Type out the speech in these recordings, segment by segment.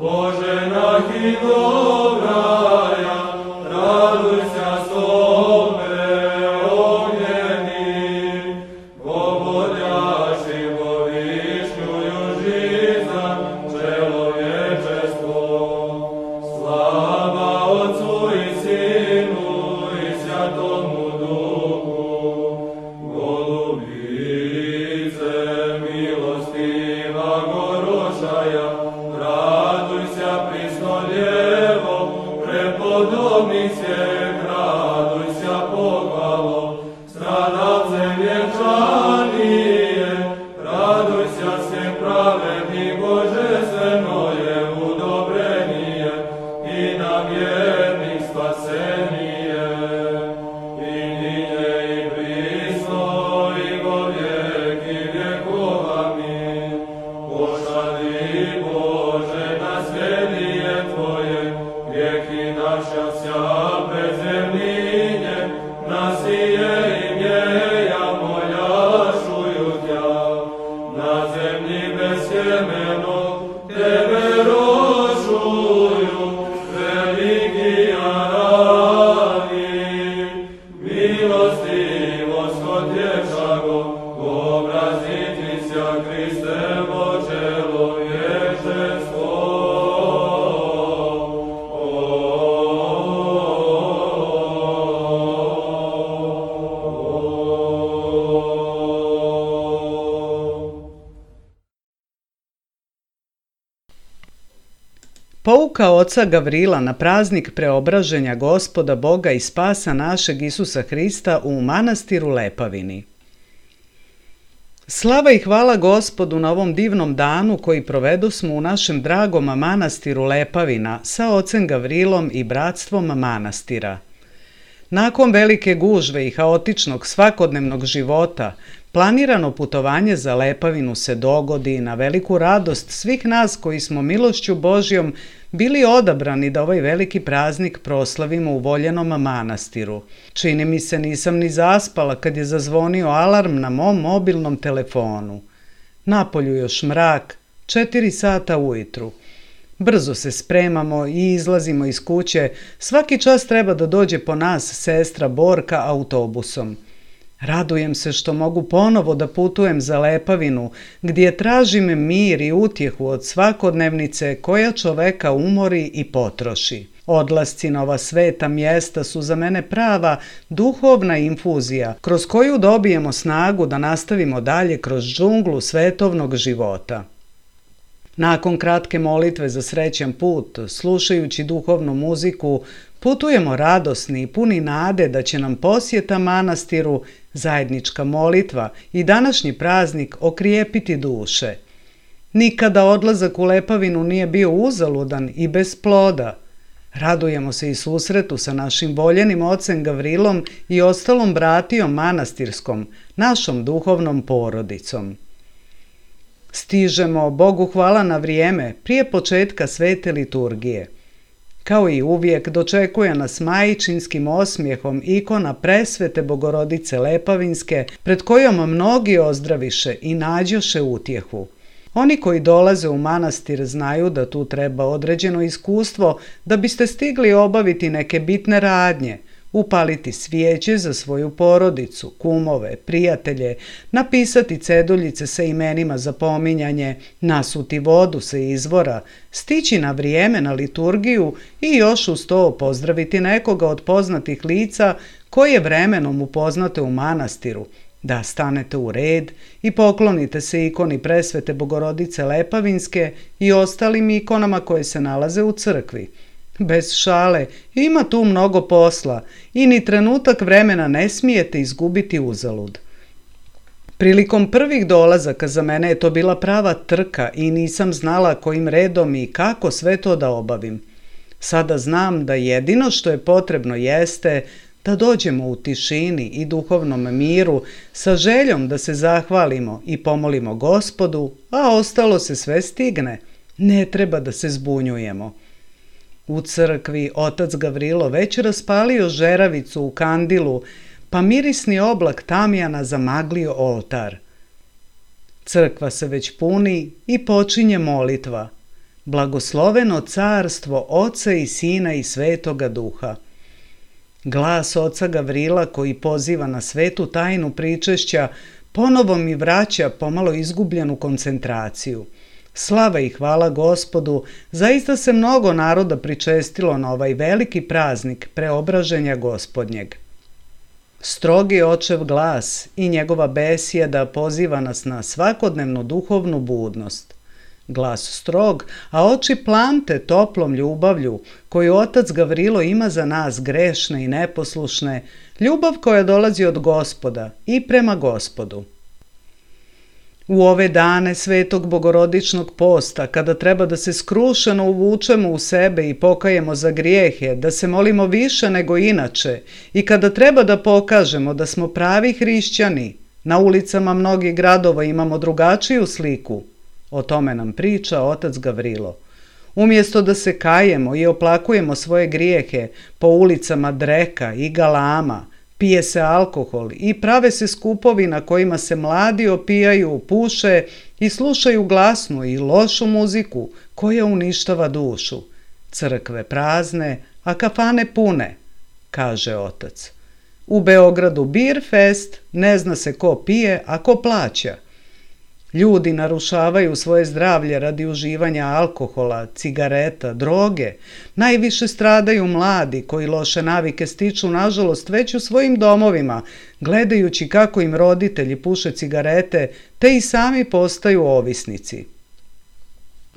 Боже, нахи добрая, радуйся, Poruka oca Gavrila na praznik preobraženja Gospoda Boga i spasa našeg Isusa Hrista u manastiru Lepavini. Slava i hvala Gospodu na ovom divnom danu koji provedosmo u našem dragom manastiru Lepavina sa ocem Gavrilom i bratstvom manastira. Nakon velike gužve i haotičnog svakodnevnog života, planirano putovanje za Lepavinu se dogodi na veliku radost svih nas koji smo milošću Božjom bili odabrani da ovaj veliki praznik proslavimo u voljenom manastiru. Čini mi se nisam ni zaspala kad je zazvonio alarm na mom mobilnom telefonu. Napolju još mrak, 4 sata ujutru. Brzo se spremamo i izlazimo iz kuće, svaki čas treba da dođe po nas sestra Borka autobusom. Radujem se što mogu ponovo da putujem za Lepavinu, gdje tražim mir i utjehu od svakodnevnice koja čoveka umori i potroši. Odlasci na ova sveta mjesta su za mene prava duhovna infuzija, kroz koju dobijemo snagu da nastavimo dalje kroz džunglu svetovnog života. Nakon kratke molitve za srećan put, slušajući duhovnu muziku, putujemo radosni i puni nade da će nam posjeta manastiru, zajednička molitva i današnji praznik okrijepiti duše. Nikada odlazak u Lepavinu nije bio uzaludan i bez ploda. Radujemo se i susretu sa našim voljenim ocem Gavrilom i ostalom bratijom manastirskom, našom duhovnom porodicom. Stižemo, Bogu hvala, na vrijeme, prije početka svete liturgije. Kao i uvijek dočekuje nas majčinskim osmijehom ikona presvete Bogorodice Lepavinske, pred kojom mnogi ozdraviše i nađoše utjehu. Oni koji dolaze u manastir znaju da tu treba određeno iskustvo da biste stigli obaviti neke bitne radnje, upaliti svijeće za svoju porodicu, kumove, prijatelje, napisati ceduljice sa imenima za pominjanje, nasuti vodu sa izvora, stići na vrijeme na liturgiju i još uz to pozdraviti nekoga od poznatih lica koje vremenom upoznate u manastiru, da stanete u red i poklonite se ikoni presvete Bogorodice Lepavinske i ostalim ikonama koje se nalaze u crkvi. Bez šale, ima tu mnogo posla i ni trenutak vremena ne smijete izgubiti uzalud. Prilikom prvih dolazaka za mene je to bila prava trka i nisam znala kojim redom i kako sve to da obavim. Sada znam da jedino što je potrebno jeste da dođemo u tišini i duhovnom miru sa željom da se zahvalimo i pomolimo Gospodu, a ostalo se sve stigne. Ne treba da se zbunjujemo. U crkvi otac Gavrilo već raspalio žeravicu u kandilu, pa mirisni oblak tamjana zamaglio oltar. Crkva se već puni i počinje molitva. Blagosloveno carstvo Oca i Sina i Svetoga Duha. Glas oca Gavrila koji poziva na svetu tajnu pričešća ponovo mi vraća pomalo izgubljenu koncentraciju. Slava i hvala Gospodu, zaista se mnogo naroda pričestilo na ovaj veliki praznik preobraženja Gospodnjeg. Strogi očev glas i njegova besjeda poziva nas na svakodnevnu duhovnu budnost. Glas strog, a oči plamte toplom ljubavlju koju otac Gavrilo ima za nas grešne i neposlušne, ljubav koja dolazi od Gospoda i prema Gospodu. U ove dane svetog bogorodičnog posta, kada treba da se skrušeno uvučemo u sebe i pokajemo za grijehe, da se molimo više nego inače i kada treba da pokažemo da smo pravi hrišćani, na ulicama mnogih gradova imamo drugačiju sliku. O tome nam priča otac Gavrilo. Umjesto da se kajemo i oplakujemo svoje grijehe, po ulicama dreka i galama, pije se alkohol i prave se skupovi na kojima se mladi opijaju, puše i slušaju glasnu i lošu muziku koja uništava dušu. Crkve prazne, a kafane pune, kaže otac. U Beogradu bir fest, ne zna se ko pije, a ko plaća. Ljudi narušavaju svoje zdravlje radi uživanja alkohola, cigareta, droge. Najviše stradaju mladi koji loše navike stiču nažalost već u svojim domovima, gledajući kako im roditelji puše cigarete, te i sami postaju ovisnici.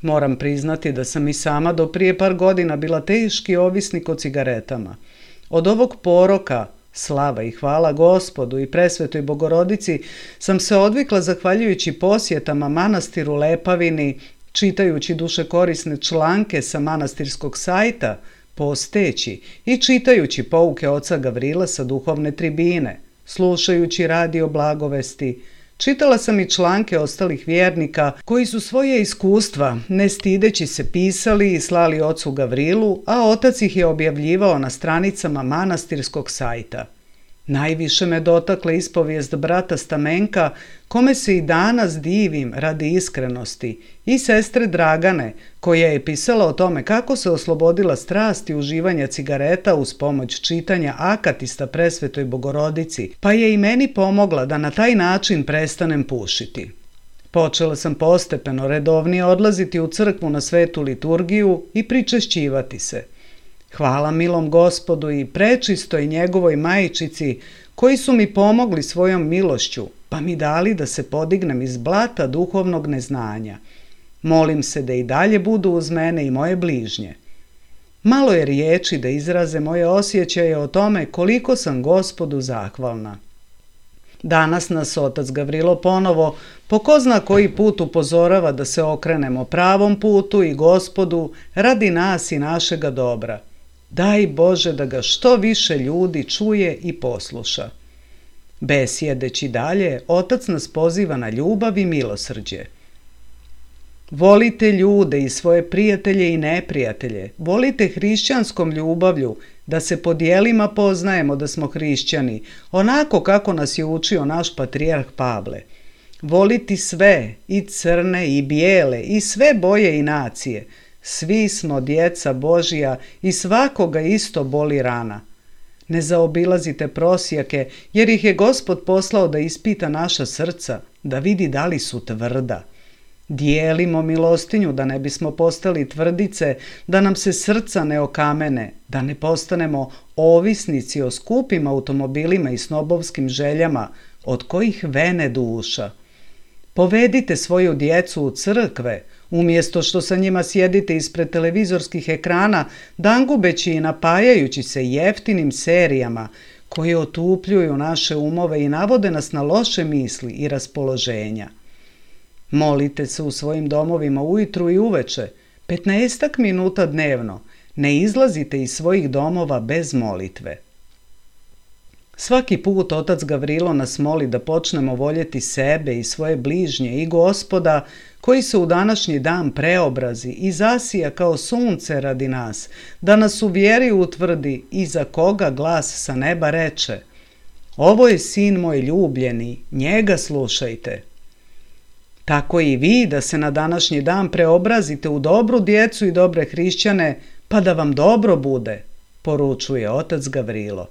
Moram priznati da sam i sama do prije par godina bila teški ovisnik o cigaretama. Od ovog poroka, slava i hvala Gospodu i presvetoj Bogorodici, sam se odvikla zahvaljujući posjetama manastiru Lepavini, čitajući dušekorisne članke sa manastirskog sajta, posteći i čitajući pouke oca Gavrila sa duhovne tribine, slušajući radio blagovesti. Čitala sam i članke ostalih vjernika koji su svoje iskustva, ne stideći se, pisali i slali ocu Gavrilu, a otac ih je objavljivao na stranicama manastirskog sajta. Najviše me dotakla ispovijest brata Stamenka, kome se i danas divim radi iskrenosti, i sestre Dragane, koja je pisala o tome kako se oslobodila strasti uživanja cigareta uz pomoć čitanja akatista presvetoj Bogorodici, pa je i meni pomogla da na taj način prestanem pušiti. Počela sam postepeno redovnije odlaziti u crkvu na svetu liturgiju i pričešćivati se. Hvala milom Gospodu i prečistoj njegovoj majčici, koji su mi pomogli svojom milošću, pa mi dali da se podignem iz blata duhovnog neznanja. Molim se da i dalje budu uz mene i moje bližnje. Malo je riječi da izraze moje osjećaje o tome koliko sam Gospodu zahvalna. Danas nas otac Gavrilo ponovo po ko zna koji put upozorava da se okrenemo pravom putu i Gospodu radi nas i našega dobra. Daj Bože da ga što više ljudi čuje i posluša. Besjedeći dalje, otac nas poziva na ljubav i milosrđe. Volite ljude i svoje prijatelje i neprijatelje. Volite hrišćanskom ljubavlju, da se po djelima poznajemo da smo hrišćani, onako kako nas je učio naš patrijarh Pavle. Voliti sve, i crne i bijele, i sve boje i nacije. Svi smo djeca Božja i svakoga isto boli rana. Ne zaobilazite prosjake, jer ih je Gospod poslao da ispita naša srca, da vidi da li su tvrda. Dijelimo milostinju da ne bismo postali tvrdice, da nam se srca ne okamene, da ne postanemo ovisnici o skupim automobilima i snobovskim željama, od kojih vene duša. Povedite svoju djecu u crkve, umjesto što sa njima sjedite ispred televizorskih ekrana, dangubeći i napajajući se jeftinim serijama koje otupljuju naše umove i navode nas na loše misli i raspoloženja. Molite se u svojim domovima ujutru i uveče, 15 minuta dnevno, ne izlazite iz svojih domova bez molitve. Svaki put otac Gavrilo nas moli da počnemo voljeti sebe i svoje bližnje i Gospoda, koji se u današnji dan preobrazi i zasija kao sunce radi nas, da nas u vjeri utvrdi i za koga glas sa neba reče: ovo je sin moj ljubljeni, njega slušajte. Tako i vi da se na današnji dan preobrazite u dobru djecu i dobre hrišćane, pa da vam dobro bude, poručuje otac Gavrilo.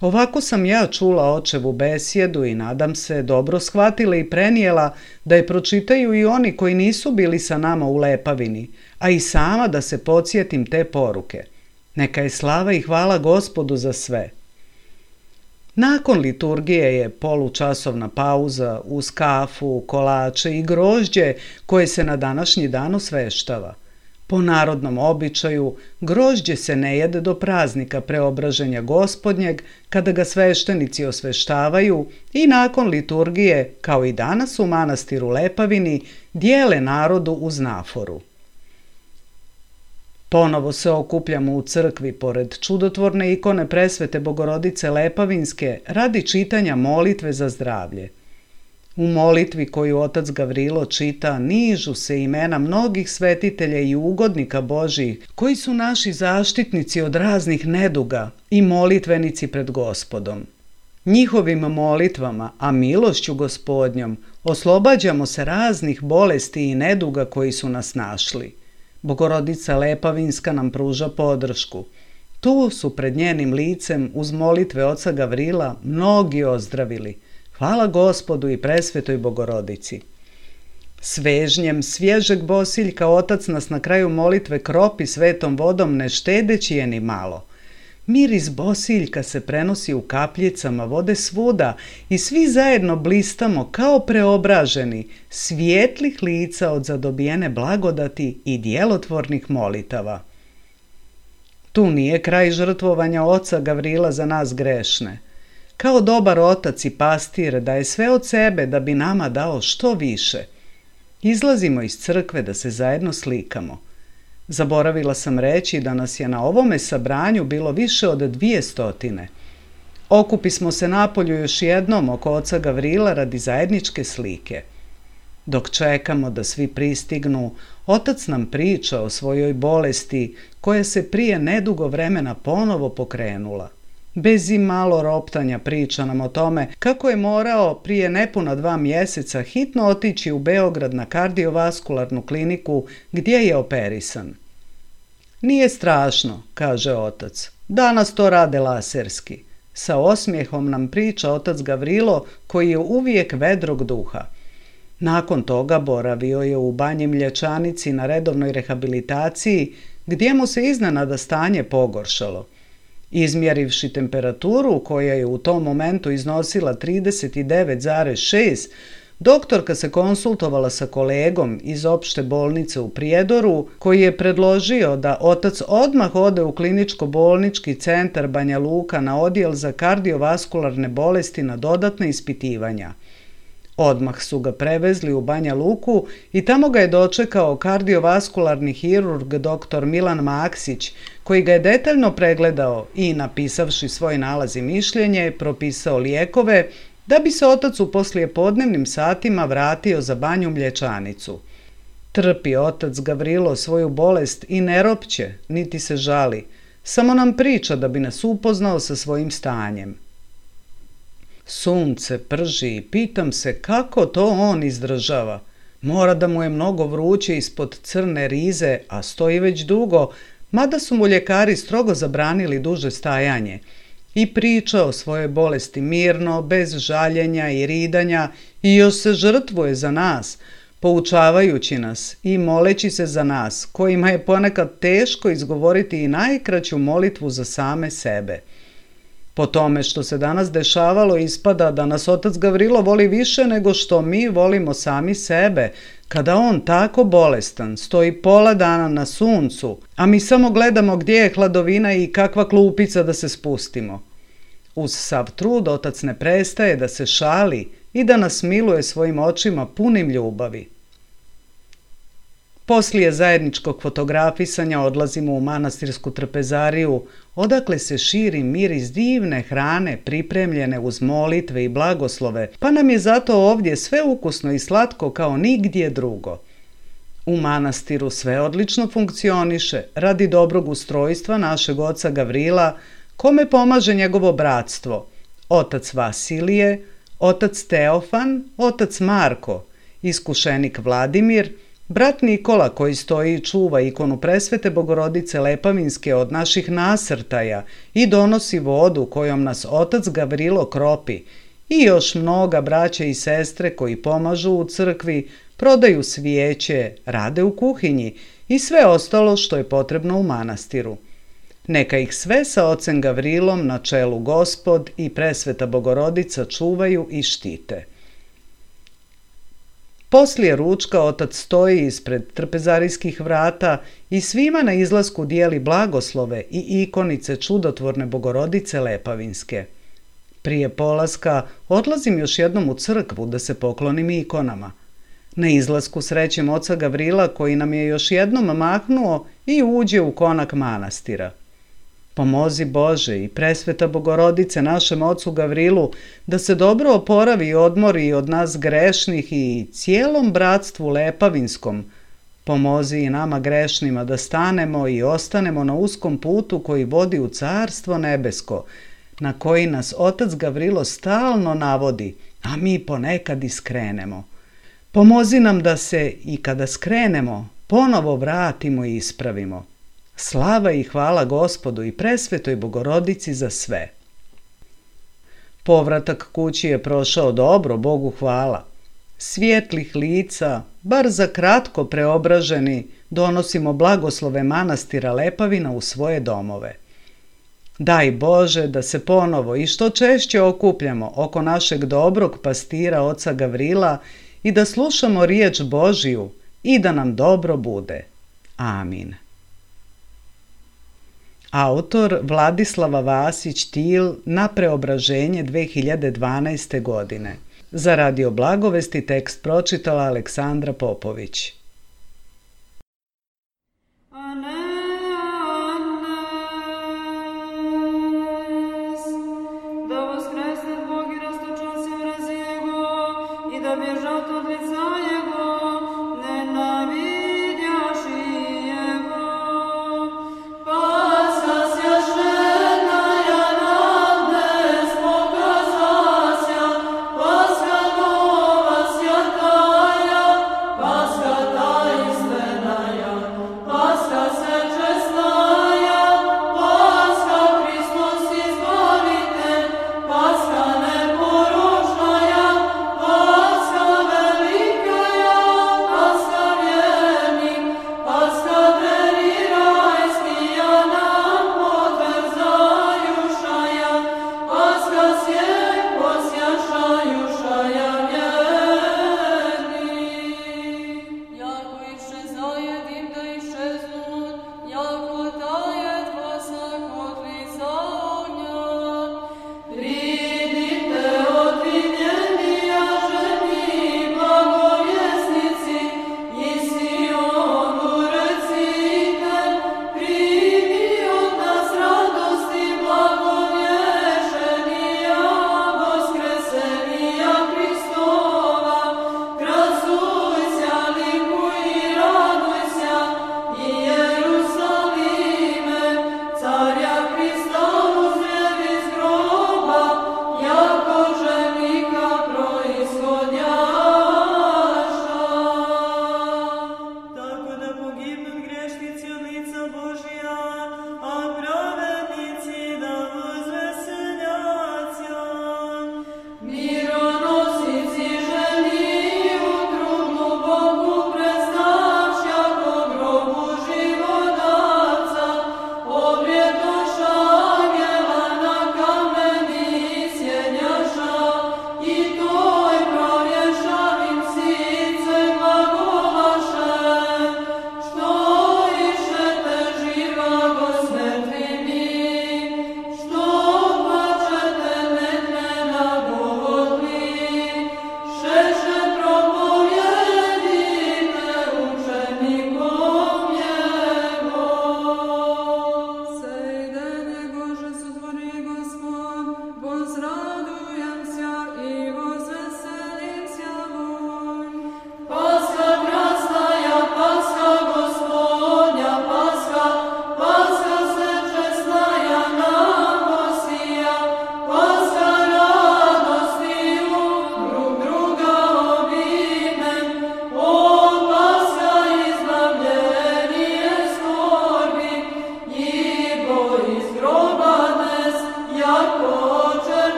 Ovako sam ja čula očevu besjedu i nadam se dobro shvatila i prenijela da je pročitaju i oni koji nisu bili sa nama u Lepavini, a i sama da se podsjetim te poruke. Neka je slava i hvala Gospodu za sve. Nakon liturgije je polučasovna pauza uz kafu, kolače i grožđe koje se na današnji dan osveštava. Po narodnom običaju, grožđe se ne jede do praznika preobraženja Gospodnjeg, kada ga sveštenici osveštavaju i nakon liturgije, kao i danas u manastiru Lepavini, dijele narodu uz naforu. Ponovo se okupljamo u crkvi pored čudotvorne ikone presvete Bogorodice Lepavinske radi čitanja molitve za zdravlje. U molitvi koju otac Gavrilo čita nižu se imena mnogih svetitelja i ugodnika Božjih koji su naši zaštitnici od raznih neduga i molitvenici pred Gospodom. Njihovim molitvama, a milošću Gospodnjom, oslobađamo se raznih bolesti i neduga koji su nas našli. Bogorodica Lepavinska nam pruža podršku. Tu su pred njenim licem uz molitve oca Gavrila mnogi ozdravili. Hvala Gospodu i presvetoj Bogorodici. Svežnjem svježeg bosiljka otac nas na kraju molitve kropi svetom vodom ne štedeći je ni malo. Miris bosiljka se prenosi u kapljicama vode svuda i svi zajedno blistamo kao preobraženi, svijetlih lica od zadobijene blagodati i djelotvornih molitava. Tu nije kraj žrtvovanja oca Gavrila za nas grešne. Kao dobar otac i pastir daje sve od sebe da bi nama dao što više. Izlazimo iz crkve da se zajedno slikamo. Zaboravila sam reći da nas je na ovome sabranju bilo više od 200. Okupismo se napolju još jednom oko oca Gavrila radi zajedničke slike. Dok čekamo da svi pristignu, otac nam priča o svojoj bolesti koja se prije nedugo vremena ponovo pokrenula. Bez i malo roptanja priča nam o tome kako je morao prije nepuna 2 mjeseca hitno otići u Beograd na kardiovaskularnu kliniku gdje je operisan. Nije strašno, kaže otac. Danas to rade laserski. Sa osmijehom nam priča otac Gavrilo koji je uvijek vedrog duha. Nakon toga boravio je u Banji Mlječanici na redovnoj rehabilitaciji gdje mu se iznenada stanje pogoršalo. Izmjerivši temperaturu koja je u tom momentu iznosila 39,6, doktorka se konsultovala sa kolegom iz opšte bolnice u Prijedoru koji je predložio da otac odmah ode u kliničko-bolnički centar Banja Luka na odjel za kardiovaskularne bolesti na dodatne ispitivanja. Odmah su ga prevezli u Banja Luku i tamo ga je dočekao kardiovaskularni hirurg dr. Milan Maksić, koji ga je detaljno pregledao i, napisavši svoj nalaz i mišljenje, propisao lijekove da bi se otac u poslijepodnevnim satima vratio za Banju Mlječanicu. Trpi otac Gavrilo svoju bolest i ne ropće, niti se žali, samo nam priča da bi nas upoznao sa svojim stanjem. Sunce prži i pitam se kako to on izdržava. Mora da mu je mnogo vruće ispod crne rize, a stoji već dugo, mada su mu ljekari strogo zabranili duže stajanje. I priča o svojoj bolesti mirno, bez žaljenja i ridanja i još se žrtvuje za nas, poučavajući nas i moleći se za nas, kojima je ponekad teško izgovoriti i najkraću molitvu za same sebe. Po tome što se danas dešavalo ispada da nas otac Gavrilo voli više nego što mi volimo sami sebe, kada on tako bolestan stoji pola dana na suncu, a mi samo gledamo gdje je hladovina i kakva klupica da se spustimo. Uz sav trud otac ne prestaje da se šali i da nas miluje svojim očima punim ljubavi. Poslije zajedničkog fotografisanja odlazimo u manastirsku trpezariju, odakle se širi miris divne hrane pripremljene uz molitve i blagoslove, pa nam je zato ovdje sve ukusno i slatko kao nigdje drugo. U manastiru sve odlično funkcioniše radi dobrog ustrojstva našeg oca Gavrila, kome pomaže njegovo bratstvo, otac Vasilije, otac Teofan, otac Marko, iskušenik Vladimir, brat Nikola koji stoji i čuva ikonu presvete Bogorodice Lepavinske od naših nasrtaja i donosi vodu kojom nas otac Gavrilo kropi, i još mnoga braće i sestre koji pomažu u crkvi, prodaju svijeće, rade u kuhinji i sve ostalo što je potrebno u manastiru. Neka ih sve sa ocem Gavrilom na čelu Gospod i presveta Bogorodica čuvaju i štite. Poslije ručka otac stoji ispred trpezarijskih vrata i svima na izlasku dijeli blagoslove i ikonice čudotvorne Bogorodice Lepavinske. Prije polaska odlazim još jednom u crkvu da se poklonim ikonama. Na izlasku srećem oca Gavrila koji nam je još jednom mahnuo i uđe u konak manastira. Pomozi Bože i presveta Bogorodice našem ocu Gavrilu da se dobro oporavi i odmori od nas grešnih i cijelom bratstvu Lepavinskom. Pomozi i nama grešnima da stanemo i ostanemo na uskom putu koji vodi u Carstvo nebesko, na koji nas otac Gavrilo stalno navodi, a mi ponekad i skrenemo. Pomozi nam da se i kada skrenemo ponovo vratimo i ispravimo. Slava i hvala Gospodu i presvetoj Bogorodici za sve. Povratak kući je prošao dobro, Bogu hvala. Svijetlih lica, bar za kratko preobraženi, donosimo blagoslove manastira Lepavina u svoje domove. Daj Bože da se ponovo i što češće okupljamo oko našeg dobrog pastira oca Gavrila i da slušamo riječ Božiju i da nam dobro bude. Amin. Autor Vladislava Vasić-Til na Preobraženje 2012. godine. Za Radio Blagovesti tekst pročitala Aleksandra Popović.